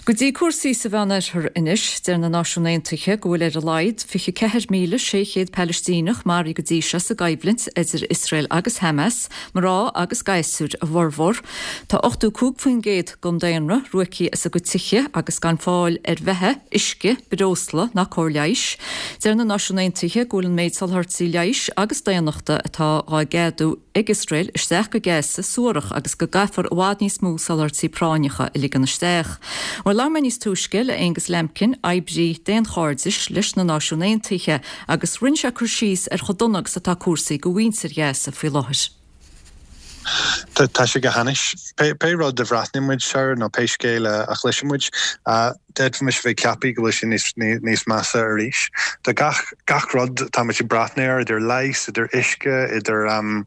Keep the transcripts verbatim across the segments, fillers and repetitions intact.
Go dtí cúrsaí sa Mheánoirthear anois, deir na Náisiúin Aontaithe go bhfuil ar a laghad fiche ceathair míle sé chéad Palaistíneach maraithe go dtí seo sa gcoimhlint idir Iosrael agus Hamas, mná agus gasúir a bhformhór. Tá ochtó cúig faoin gcéad den daonra ruaigthe as a gcuid tithe agus gan fáil ar bheatha, uisce, breosla ná cóir leighis. Deir na Náisiúin Aontaithe go bhfuil an méid soláthairtí leighis agus daonnachta atá á gceadú ag Iosrael isteach go Gaza suarach agus go gcaithfear i bhfad níos mó soláthairtí práinneacha a ligean isteach. Well labhair mé níos túisce le Angus Lambkin, oibrí daonchairdis leis na Náisiúin Aontaithe, agus rinne sé cur síos ar chomh dona agus atá cúrsaí do mhuintir Ghaza faoi láthair. Tá sé go hainnis. Pé rud a bhreathnaíonn muid air nó pé scéal a chloiseann muid, d'fhéadfaimis bheith ag ceapadh go bhfuil sé níos níos measa arís. Tá gach gach rud tá muid ag breathnú air idir leigheas, idir uisce, idir um,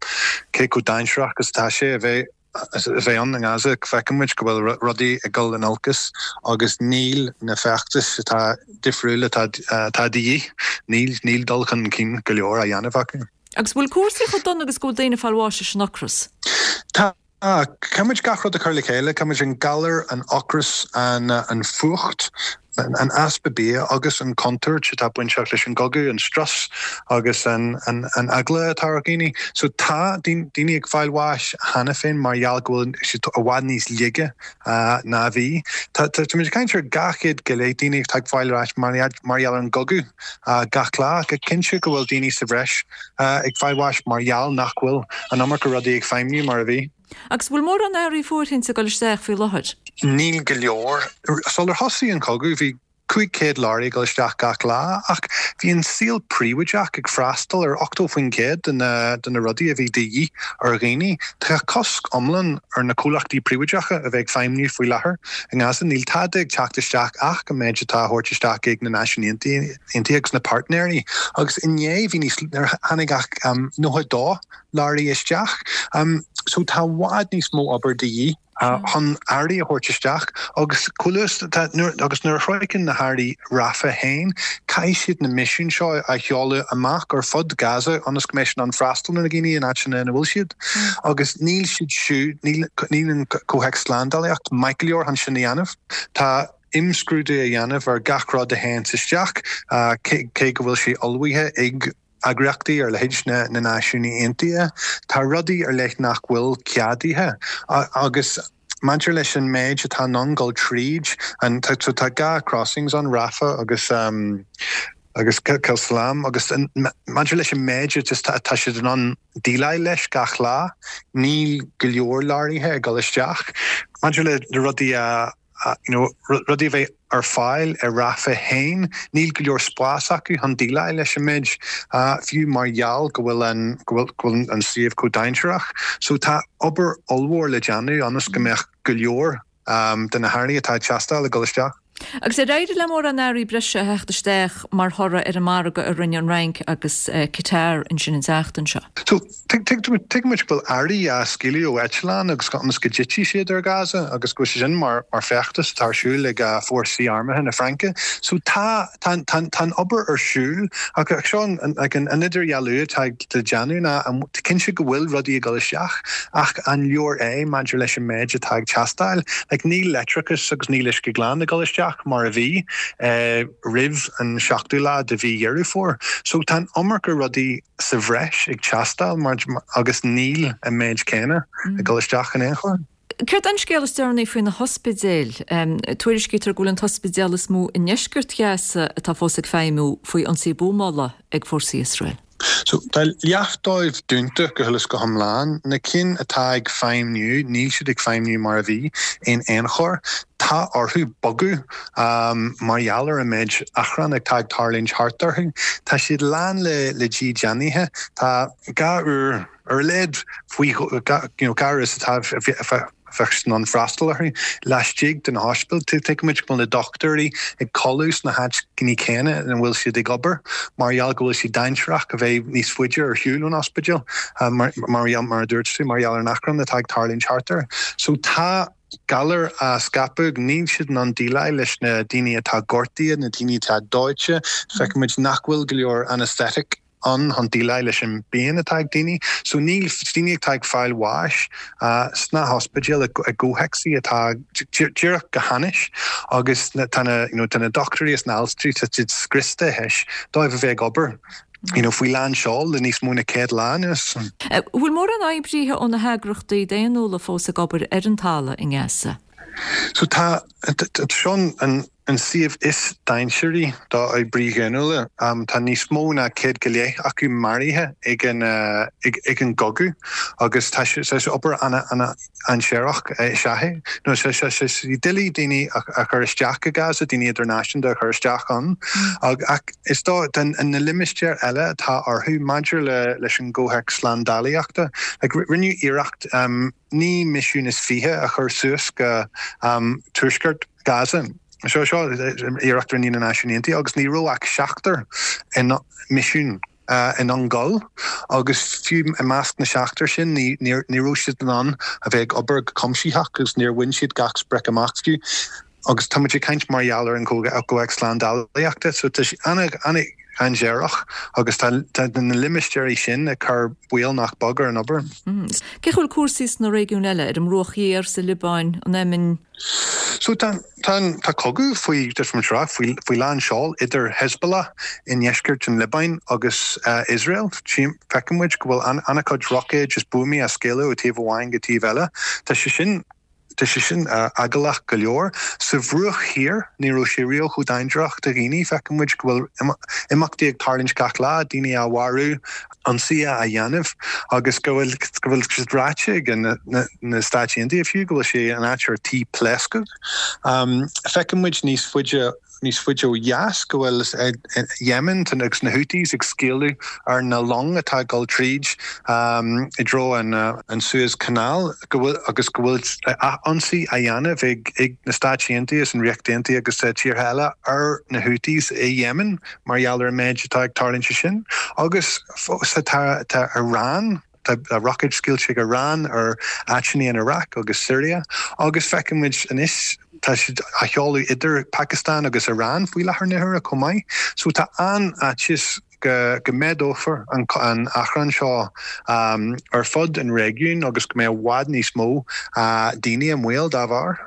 cé chomh dainséarach agus atá sé a bheith a bheith ann i nGaza feiceann muid go bhfuil rudaí ag dul in olcas agus níl na feachtais atá difriúil atá atá de dhíth, níl níl dul chun cinn go leor á dhéanamh acu. Agus bhfuil cúrsaí chomh dona agus go bhfuil daoine ag fáil bháis as an ocras. Tá Caithfimid gach rud a chur le chéile, caithfimid an galar, an ocras, an an fuacht, an easpa bia agus an chontúirt atá bainteach leis an gcogadh, an strus agus an an an eagla atá ar dhaoine. So tá daoine ag fáil bháis cheana féin mar gheall go bhfuil siad i bhfad níos laige ná a bhí. Tá muid ag caint ar dhá chéad go leith daoine atá ag fáil bháis mar mar gheall ar an gcogadh gach lá, go cinnte go bhfuil daoine sa bhreis ag fáil bháis mar gheall nach bhfuil an iomarca rudaí ag feidhmiú mar a bhí. Agus bhfuil mórán earraí fóirithinte ag dul isteach faoi láthair? Níl go leor. Sular thosaigh an cogadh bhí cúig chéad leoraí ag dul isteach gach lá, ach bhí an saol príobháideach ag freastal ar ochtó faoin gcéad de na de na rudaí a bhí de dhíth ar dhaoine. Tá cosc iomlán ar na comhlachtaí príobháideacha a bheith ag feidhmiú faoi láthair i nGaza. Níl tada ag teacht isteach ach an méid atá á thabhairt isteach ag na Náisiúin Aontaithe agus na páirtnéirí. Agus inné bhí níos tháinig ach um, nócha dó leoraí isteach. Um, so tá i bhfad níos mó obair de dhíth chun earraí a thabhairt isteach agus agus nuair a shroicheann na hearraí Rafah féin, caithfidh siad na misiúin seo a sheoladh amach ar fud Gaza ionas go mbeidh an freastal na daoine in áiteanna ina bhfuil siad. Agus níl siad siúd níl an comhthéacs slándálaíocht maith go leor chun sin a dhéanamh. Tá imscrúdú a dhéanamh ar gach rud a théann isteach cé go bhfuil sé ullmhaithe ag eagraíochtaí ar leithéid na na Náisiún Aontaithe, Tá rudaí ar leith nach bhfuil ceadaithe agus maidir leis an méid atá in ann dul tríd an tá tá dhá crossings an Rafah agus um, agus Tel Salam agus maidir leis an méid tá siad in ann déileáil leis gach lá, níl go leor leoraithe ag dul isteach. Maidir le na rudaí a you know, rudaí bheith ar fáil ar Rafah féin, níl go leor spás acu chun déileáil leis an méid fiú mar gheall go bhfuil an go bhfuil an suíomh chomh dainséarach. So tá obair ollmhór le déanamh ionas go mbeadh go leor um, de na hearraí atá ag teastáil ag dul isteach. Agus ar éirigh le mórán earraí breise a theacht isteach mar thoradh ar an margadh a rinne an Fhrainc agus uh, Qatar ansin an tseachtain seo. So tuigimid go bhfuil earraí á scaoileadh ó eitleán agus ionas go dtitfidh siad ar Gaza agus go sin mar mar feachtas atá ar siúl ag uh, fórsaí armtha na Fraince. So tá tá tá obair ar siúl ach seo an an idirdhealú atá le déanamh ná cinnte go bhfuil rudaí ag dul isteach ach an leor é maidir leis an méid atá ag teastáil, like, níl leictreachas agus níl uisce glan ag dul isteach mar a bhí uh, roimh an seachtú lá de mhí Dheireadh Fómhair. So tá iomarca rudaí sa bhreis ag teastáil mar agus níl an méid céanna ag dul isteach in aon chor. Céard an scéal is deireanaí faoi na hospidéil Tuairiscítear go bhfuil an t-ospidéal is mó i ndeisceart Ghaza atá fós ag feidhmiú faoi ionsaí buamála ag fórsaí Iosrael. So tá leath dóibh dúnta go huile is go hiomlán, na cinn atá ag feidhmiú níl siad ag feidhmiú mar a bhí in aon chor. Tá orthu bogadh um, mar gheall ar an méid achrann atá ag tarlúint thart orthu. Tá siad lán le le dídeanaithe Tá dhá uair ar a laghad faoi gar is atá bheadh an freastal orthu laistigh den hospital tuigimid go bhfuil na dochtúirí ag codladh sna háiteanna céanna ina bhfuil siad ag obair mar gheall go bhfuil siad dainséarach a bheith níos faide ar shiúl ón ospidéal mar mar mar a dúirt tú mar gheall ar an achrann atá ag tarlúint thart air. So tá galar á scaipeadh níl siad in ann déileáil leis na daoine atá gortaithe, na daoine atá dóite, feicimid nach bhfuil go leor anesthetic ann chun déileáil leis an bpian atá ag daoine. So níl daoine atá ag fáil bháis sna hospidéil i gcomhthéacsaí atá díreach go hainnis agus tá na you know, tá na dochtúirí is na haltraí tá siad scriosta théis dóibh a bheith ag obair you know, faoi lán seoil le níos mó ná céad lá anuas. Bhfuil mórán oibrithe ó na heagraíochtaí daonnúla fós ag obair ar an talamh i nGaza? So tá seo an an suíomh is dainséaraí do oibrithe daonnúla um, tá níos mó ná céad go leith acu maraithe ag an uh, ag, ag an gcogadh agus tá sé obair an-dainséarach is ea é. No sé sé sé doiligh daoine a chur isteach i Gaza daoine idirnáisiúnta a chur isteach ann mm. ach is dó den an na limistéir eile atá orthu maidir le leis an gcomhthéacs slándálaíochta like, rinneadh iarracht um, naoi misiún is fiche a chur suas go um, tuaisceart Gaza. Seo seo iarracht rinne na Náisiúin Aontaithe agus ní raibh ach seachtar in misiún uh, in ann dul agus fiú i measc na seachtar sin ní ní raibh siad in ann a bheith ag obair go cuimsitheach agus níor bhain siad gach sprioc amach fiú. agus tá muid ag caint mar gheall ar an gcomhthéacs slándálaíochta, so tá an-dainséarach agus tá na limistéirí sin ag cur baol nach beag ar an obair. Mm. Cén chaoi a bhfuil cúrsaí sna réigiúin eile ar an mBruach Thiar sa Liobáin an Éimin? So tá tá cogadh faoi faoi faoi lán seoil idir Hezbollah i ndeisceart an Liobáin agus uh, Israel Feicimid go bhfuil an-chuid roicéid is buamaí á scaoileadh ó taobh amháin go taobh eile. Tá sé sin Tá sé sin uh, eaglach go leor sa Bhruach Thiar ní raibh sé riamh chomh dainséarach do dhaoine feicimid go bhfuil imeachtaí ag tarlúint gach lá daoine á mharú ionsaithe á dhéanamh agus go bhfuil go bhfuil siad ráite ag na, na, na Stáit Aontaithe fiú go bhfuil sé an áit ar tí pléascadh. Um, feicimid níos faide níos faide ó dheas go bhfuil Yemen tan agus na Houthis ag scaoileadh ar na long atá ag dul tríd um, i dtreo an, uh, an Suez Canal go bhfuil agus go bhfuil ionsaí á dhéanamh ag ag na Stáit Aontaithe is an Ríocht Aontaithe agus uh, tíortha eile ar na Houthis i Yemen mar gheall ar an méid atá ag tarlúint sin agus tá tá Iran tá roicéid scaoilte ag Iran ar áiteanna in Iraq agus Syria agus feicimid anois tá siad á sheoladh idir Pakistan agus Iran faoi láthair na huaire chomh maith, so tá an fhaitíos go go méadófar an an achrann seo um, ar fud an réigiún agus go mbeidh i bhfad níos mó uh, daoine i mbaol dá bharr.